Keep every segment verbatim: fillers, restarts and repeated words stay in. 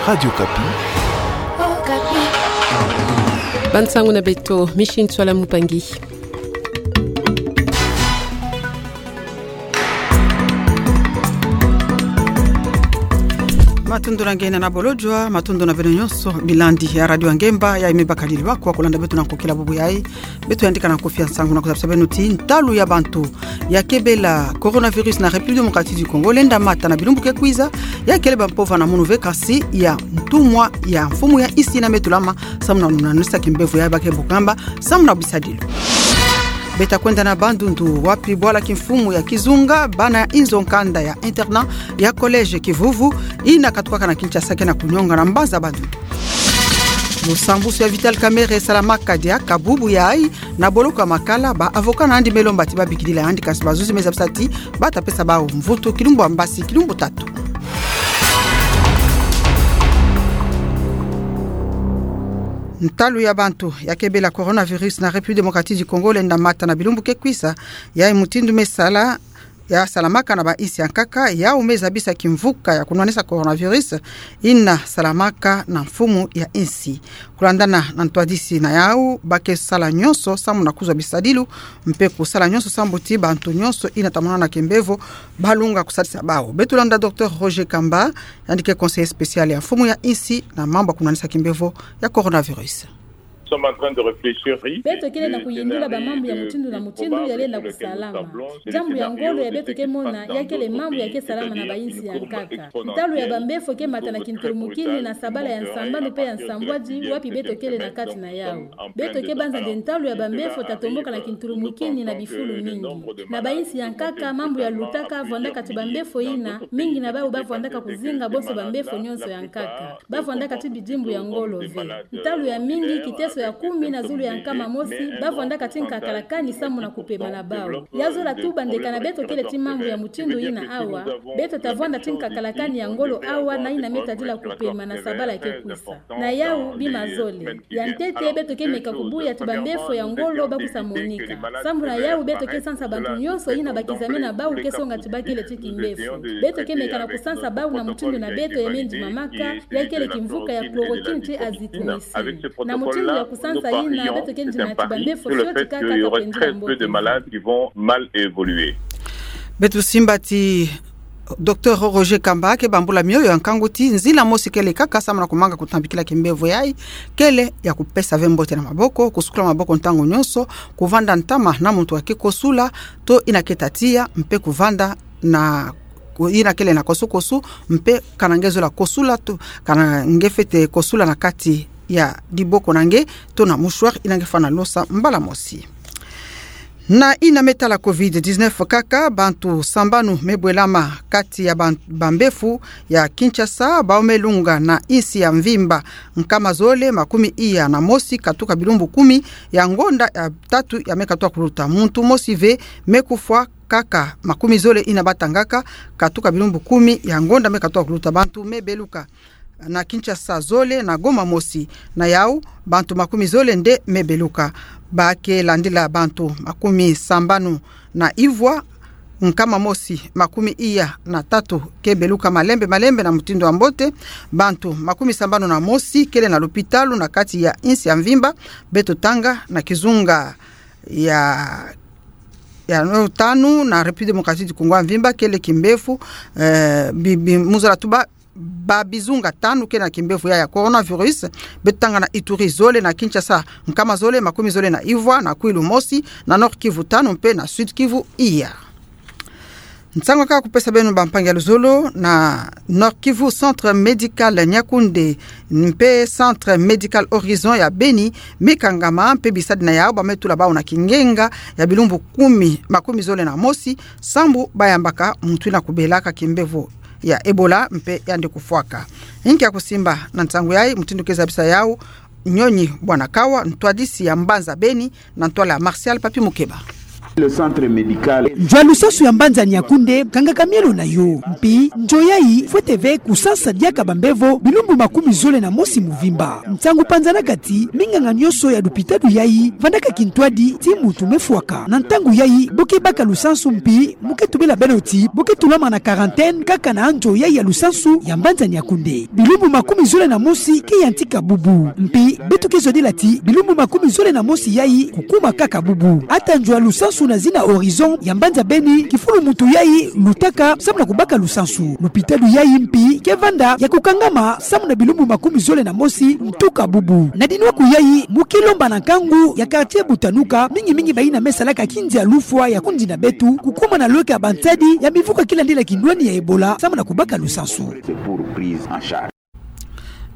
Radio Okapi. Bansangu na beto, Micheline Tswala Mupangi. Matondo na nge na bolojwa, matondo na beno nyonso, bilandi ya Radio Ngemba, ya ime bakadiri wa kwa kolanda beto na nkokila bubu yayi. Beto yandika na kofi ya nsangu na kuzabisa beno ti ntalu ya bantu ya kebela coronavirus na République Démocratique du Congo lenda mata na bilumbu ke kwiza, ya kele ba mpova na munu ve kasi ya ntumwa ya mfumu ya insi ina me tulama, samu na lunanisa kimbevo ya ba ke bukamba, samu na bisadilo. Beta kwenda na Bandundu, wapi bwala kimfumu ya kizunga bana inzo nkanda ya internat ya collège Kivuvu, ina katukaka na Kinshasa ke na kunyonga na mbanza Bandundu. Lusambusu ya Vital Kamerhe esalamaka diaka bubu yayi na boloko ya Makala, ba avocat na yandi me lomba ti ba bikidila yandi, kasi bazuzi me zabisa ti bata pesa bawu mvutu kilumbu ya mbasi, kilumbu tatu. Ntalu ya bantu ya kebela coronavirus na République Démocratique du Congo lenda mata na bilumbu ke kwiza, yayi mutindu me sala ya salamaka na ba insi ya nkaka, yawu me zabisa kimvuka ya kunwanisa coronavirus ina salamaka na mfumu ya insi. Kulandana na ntwadisi na yawu, ba ke sala nyonso samu na kuzwa bisadilu, mpe kusala nyonso samu ti bantu nyonso ina tamonana kimbevo balunga kusadisa bawu. Beto landa Docteur Roger Kamba, yandi ke conseiller spécial ya mfumu ya insi na mambu ya kunwanisa kimbevo ya coronavirus. Beto kele na kuyindula ba mambu ya mutindu na mutindu ya lenda kusalama. Diambu ya ngolo ya beto ke mona, ya kele mambu ya ke salama na ba insi ya nkaka. Ntalu ya ba mbefo ke mata na kintulumukini na sabala ya nsambanu mpe ya nsambwadi, wapi beto kele na kati na yawu. Beto ke banza nde ntalu ya ba mbefo ta tomboka na kintulumukini na bifulu mingi. Na ba insi ya nkaka, mambu ya lutaka, vwandaka ti ba mbefo ina, mingi na bawu ba vwandaka kuzinga bonso ba mbefo nyonso ya nkaka. Ba vwandaka ti bidimbu ya ngolo ve. Ntalu ya mingi, kiteso ya kumi na zulu ya nkama mosi, ba vwandaka ti nkakala kani samu na kupema na bawu. Ya zola tuba nde kana beto kele ti mambu ya mutindu ina awa, beto ta vwanda ti nkakala kani ya ngolo awa na ina me tadila kupema na sabala ke kwisa. Na yawu bima zole. Ya ntete, beto ke meka kubuya ti ba mbefo ya ngolo ba kusa monika. Samu na yawu beto ke sansa bantu nyonso ina bakizame na bawu ke songa ti ba kele ti kimbefo. Beto ke meka na kusansa bawu na mutindu na beto ya me ndimamaka, ya kele kimvuka ya chloroquine ti azithromycine. Na mutindu ya kusansa ina, beto ke ndimati ba mbefo fioti kaka ta pendila mbote. Beto simba ti Docteur Roger Kamba ke bambula mioyo ya nkangu ti nzila mosi kele kaka samu na kumanga kutambikila kimbevo yayi, kele ya kupesa ve mbote na maboko, kusukula maboko ntangu nyonso, kuvanda ntama na muntu ake kosula, to ina ke ta tia, mpe kuvanda na ku-, ina kele na kosu-kosu, mpe kana nge zola kosula to, kana nge fete kosula na kati ya diboko na nge, to na mouchoir ina nge fana losa mbala mosi. Na ina me tala covid dix-neuf kaka, bantu sambanu me bwelama kati ya ban-, ba mbefo ya Kinshasa, bawu me lunga na insi ya mvimba, nkama zole makumi iya na mosi katuka bilumbu kumi ya ngonda ya tatu ya me katuka kuluta. Muntu mosi ve me kufwa, kaka makumi zole ina batangaka katuka bilumbu kumi ya ngonda me katuka kuluta. Bantu me beluka na Kinshasa zole, na Goma mosi. Na yawu, bantu makumi zole nde me beluka. Ba ke landila bantu makumi sambanu na ivwa, nkama mosi makumi iya na tatu ke beluka malembe-malembe na mutindu ya mbote. Bantu makumi sambanu na mosi kele na lopitalo na kati ya insi ya mvimba, beto tanga na kizunga ya ya no tanu na République Démocratique du Congo ya mvimba kele kimbefo, eh, bi-, bi-, mu zola tuba, ba bizunga tanu kele na kimbefo ya, ya coronavirus. Beto tanga na Ituri zole, na Kinshasa nkama zole makumi zole na ivwa, na Kwilu mosi, na Nord-Kivu tanu, mpe na Sud-Kivu iya. Nsangu kaka kupesa beno, bampangi ya luzolo, na Nord-Kivu, Centre Médical Niakoundé mpe Centre Médical Horizon ya Beni me kangama, mpe bisadi na yawu ba me tula bawu na kingenga ya bilumbu kumi, makumi zole na mosi, sambu ba yambaka muntu ina kubelaka kimbevo ya Ebola mpe yandi kufwaka. Inki ya kusimba na nsangu yayi, mutindu ke zabisa yawu, Nyonyi Bwanakawa, ntwadisi ya mbanza Beni, na ntwala Martial Papi Mukeba. Le centre médical. Nzo ya lusansu ya mbanza Niakoundé kangaka mielo na yo. Mpi nzo yayi fwete ve kusansa diaka bambevo bilumbu makumi zole na mosi mvimba. Nsangu panzanaka ti minganga nyonso ya lupitalu yayi vandaka kintwadi ti mutu mefwaka. Na ntangu yayi bo ke baka lusansu mpi mu ke tubela beno ti bo ke tulama na quarantaine kaka na nzo yayi ya lusansu ya mbanza Niakoundé. Bilumbu makumi zole na mosi ke yantika bubu. Mpi beto ke zodila ti bilumbu makumi zole na mosi yayi kukuma kaka bubu. Ata nzo ya lusansu na zina Horizon ya mbanza Beni, kifulu mutu yayi lutaka samu na kubaka lusansu. Lupitalu yayi mpi ke vanda ya kukangama samu na bilumbu makumi zole na mosi ntuka bubu. Na dinwa'aku yayi mu ke lomba na nkangu ya quartier Butanuka, mingi mingi bayina me salaka kinzi ya lufwa ya kundina beto, kukuma na lweka ya bansadi ya mivu ka ke landila kinwani ya Ebola samu na kubaka lusansu.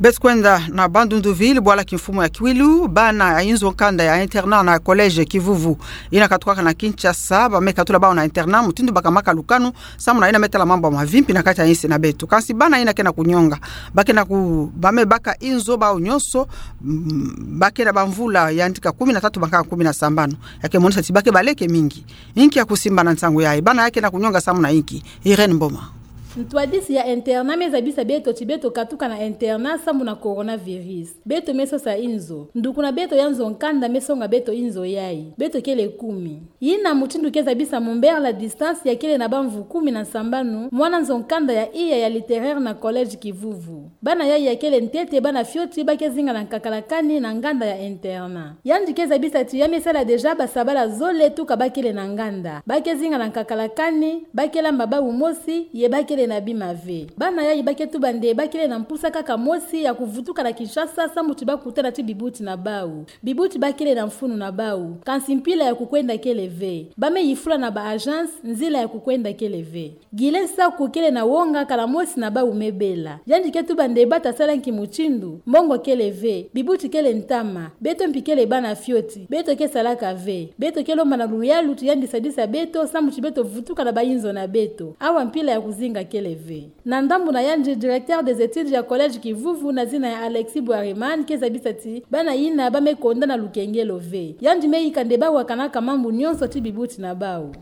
Beto kwenda na Bandundu-Ville, bwala kimfumu ya Kwilu, bana ya inzo nkanda ya internat na collège Kivuvu yina katukaka na Kinshasa, ba me katula bawu na internat mutindu baka maka lukanu samu na yina me tala mambu ya mavimpi na kati ya insi na beto. Kansi bana yina ke na kunyonga, ba ke na ku-, ba me baka inzo bawu nyonso, mm, ba ke na bamvula yantika kumi na tatu baka kumi na sambanu. Ya ke monisa ti ba ke baleke mingi. Inki ya kusimba na nsangu yayi? Bana ya ke na kunyonga samu na inki? Irène Mboma. Ntwadisi ya internat me zabisa beto ti beto katuka na internat samu na coronavirus. Beto me sosa inzo. Nduku na beto ya nzo nkanda me songa beto inzo yayi. Beto kele kumi. Yina mutindu ke zabisa Mumbere La Distance, ya kele na bamvu kumi na sambanu, mwana nzo nkanda ya iya ya littéraire na collège Kivuvu. Bana yayi ya kele ntete bana fioti, ba ke zinga na nkakala kani na nganda ya internat. Yandi ke zabisa ti ya me sala déjà basabala zole tuka ba kele na nganda. Ba ke zinga na nkakala kani, ba ke lamba bawu mosi, ye ba kele na bima ve. Bana yayi ba ke tuba nde ba kele na mpusa kaka mosi ya kuvutuka na Kinshasa samu ti ba kutana ti bibuti na bawu. Bibuti ba kele na mfunu na bawu. Kansi mpila ya kukwenda kele ve. Ba me yifula na ba agence, nzila ya kukwenda kele ve. Guylain Saku kele na wonga kala mosi na bawu me bela. Yandi ke tuba nde ba ta sala nki mutindu, mbongo kele ve, bibuti kele ntama, beto mpi kele bana fioti, beto ke salaka ve, beto ke lomba na luyalu ti yandi sadisa beto, samu ti beto vutuka na ba inzo na beto. Awa mpila ya kuzinga kele ve. Na ndambu na yandi, directeur des études ya collège Kivuvu na zina ya Alexis Bwariman ke zabisa ti bana yina ba me konda na lukengelo ve. Yandi me yika nde ba wakanaka mambu nyonso ti bibuti na bawu.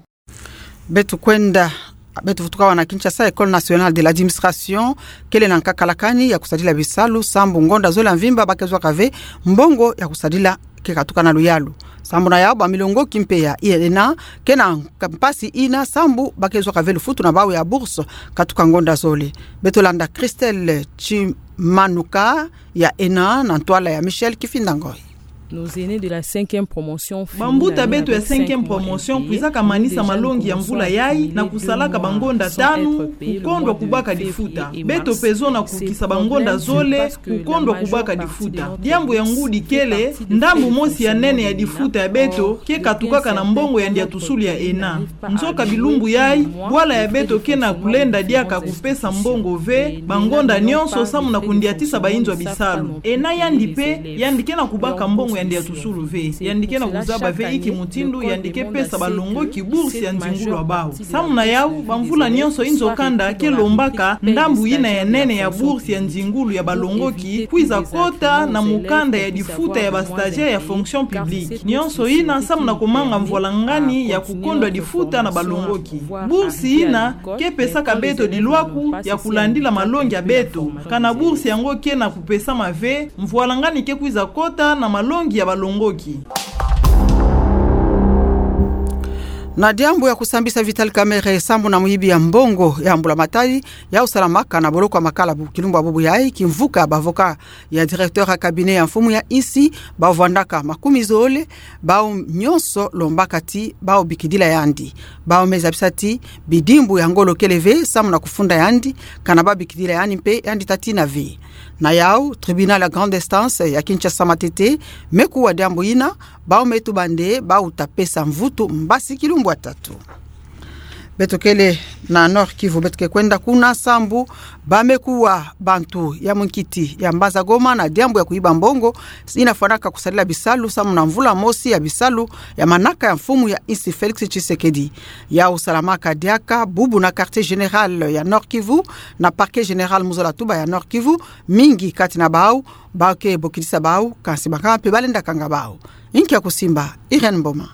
Beto kwenda, beto vutuka awa na Kinshasa, École nationale de l'administration kele na nkakala kani ya kusadila bisalu, sambu ngonda zole ya mvimba ba ke zwaka ve mbongo ya kusadila ke katuka na luyalu. Sambu na yawu, bamilongoki mpe ya ENA ke na mpasi yina, sambu ba ke zwaka ve lufutu na bawu ya bourse katuka ngonda zole. Beto landa Christelle Chimanuka ya ENA na ntwala ya Michel Kifinda Ngoi. Nos aînés de la cinquième promotion. Bambuta beto ya cinquième promotion kwizaka manisa malongi ya mvula yayi na kusalaka bangonda tanu kukondwa kubaka difuta. Beto mpe zo na kukisa bangonda zole kukondwa kubaka difuta. Diambu ya ngudi kele, ndambu mosi ya nene ya difuta ya beto ke katukaka na mbongo ya ndiatusulu ya ENA. Nzoka bilumbu yayi, bwala ya beto ke na kulenda diaka kupesa mbongo ve bangonda nyonso samu na kundiatisa ba inzo ya bisalu. ENA yandi mpe, yandi ke na kubaka mbongo ya ndiatusulu ve. Yandi ke na kuzaba ve inki mutindu yandi ke pesa balongoki bourse ya nzingulu ya bawu. Samu na yawu, bamvula nyonso inzo kanda ke lombaka ndambu yina ya nene ya bourse ya nzingulu ya balongoki kwiza kota na mukanda ya difuta ya ba stagiaires ya fonction publique. Nyonso yina samu na kumanga mvwalangani ya kukondwa difuta na balongoki. Bourse yina ke pesaka beto dilwaku ya kulandila malongi ya beto. Kana bourse yango ke na kupesama ve, mvwalangani ke kwiza kota na malongi ya balongoki. Na diambu ya kusambisa Vital Kamerhe sambu na muyibi ya mbongo ya mbula matadi, yawu salamaka na boloko ya Makala bu kilumbu ya bubu yayi, kimvuka ya ba avocats ya directeur ya cabinet ya mfumu ya insi, bawu vwandaka makumi zole, bawu nyonso lombaka ti bawu bikidila yandi. Bawu me zabisa ti bidimbu ya ngolo kele ve samu na kufunda yandi, kana ba bikidila yandi mpe yandi ta tina ve. Na yawu, tribunal ya grande instance ya Kinshasa Matete me kuwa diambu yina, bawu me tuba nde bawu ta pesa mvutu mbasi kilumbu ya tatu. Beto kele na Nord-Kivu, beto ke kwenda kuna sambu ba me kuwa bantu ya munkiti ya mbanza Goma na diambu ya kuyiba mbongo yina fwanaka kusadila bisalu samu na mvula mosi ya bisalu ya manaka ya mfumu ya insi Félix Tshisekedi. Yawu salamaka diaka bubu na quartier général ya Nord-Kivu na parquet général mu zola tuba ya Nord-Kivu, mingi kati na bawu ba ke bokidisa bawu, kansi bakaka mpe ba lenda kanga bawu. Inki ya kusimba? Irène Mboma.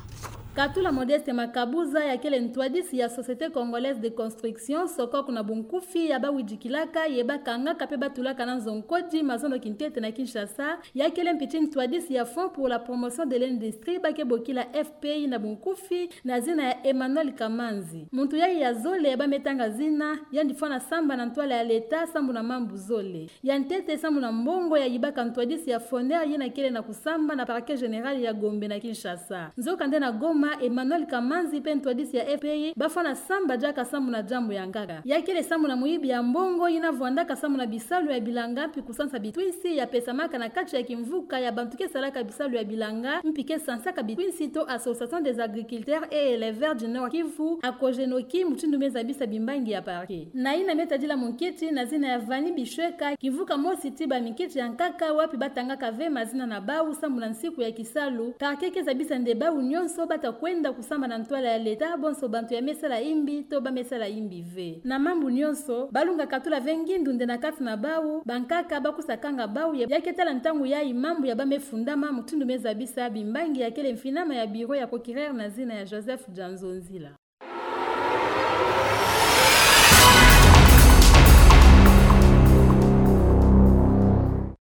Katula Modeste Makabuza, ya kele ntwadisi ya Société Congolaise de Construction, SOCOC na bunkufi, ya bawidikilaka, ye bakangaka mpe batulaka na nzo nkodi mazono kintete na Kinshasa, ya kele mpiti ntwadisi ya Fonds pour la promotion de l'industrie, ba ke bokila F P I na bunkufi, na zina ya Emmanuel Kamanzi. Muntu yayi ya zole ya bametanga zina, yandi fwana samba na ntwala ya leta, sambu na mambu zole. Ya ntete sambu na mbongo ya yibaka ntwadisi ya Foner yina kele na kusamba na Parquet Général ya Gombe na Kinshasa. Nzokande na Goma, Emmanuel Kamanzi mpe ntwadisi ya F P I, bafwana samba diaka sambu na diambu ya nkaka. Ya kele sambu na muyibi ya mbongo yina vwandaka sambu na bisalu ya bilanga mpi kusansa bitwisi ya pesamaka na kati ya kimvuka ya bantu ke salaka bisalu ya bilanga, mpi ke sansaka bitwisi to Association des agriculteurs et éleveurs du Nord Kivu, ACOGENOKI, mutindu me zabisa bimbangi ya parquet. Na yina me tadila munkiti na zina ya Vanny Bishweka, kimvuka mosi ti baminkiti ya nkaka wapi batangaka ve mazina na bawu sambu na nsiku ya kisalu, parquet ke zabisa nde bawu nyonso bata kwenda kusamba na ntwala ya leta, bonso bantu ya me sala imbi to ba me sala imbi ve. Na mambu nyonso, balunga katula ve ngindu nde na kati na bawu, bankaka bakusakanga bawu ye, ya ke tala ntangu yayi mambu ya ba me fundama, mutindu me zabisa bimbangi ya kele mfinama ya bureau ya procureur na zina ya Joseph Dianzonzila.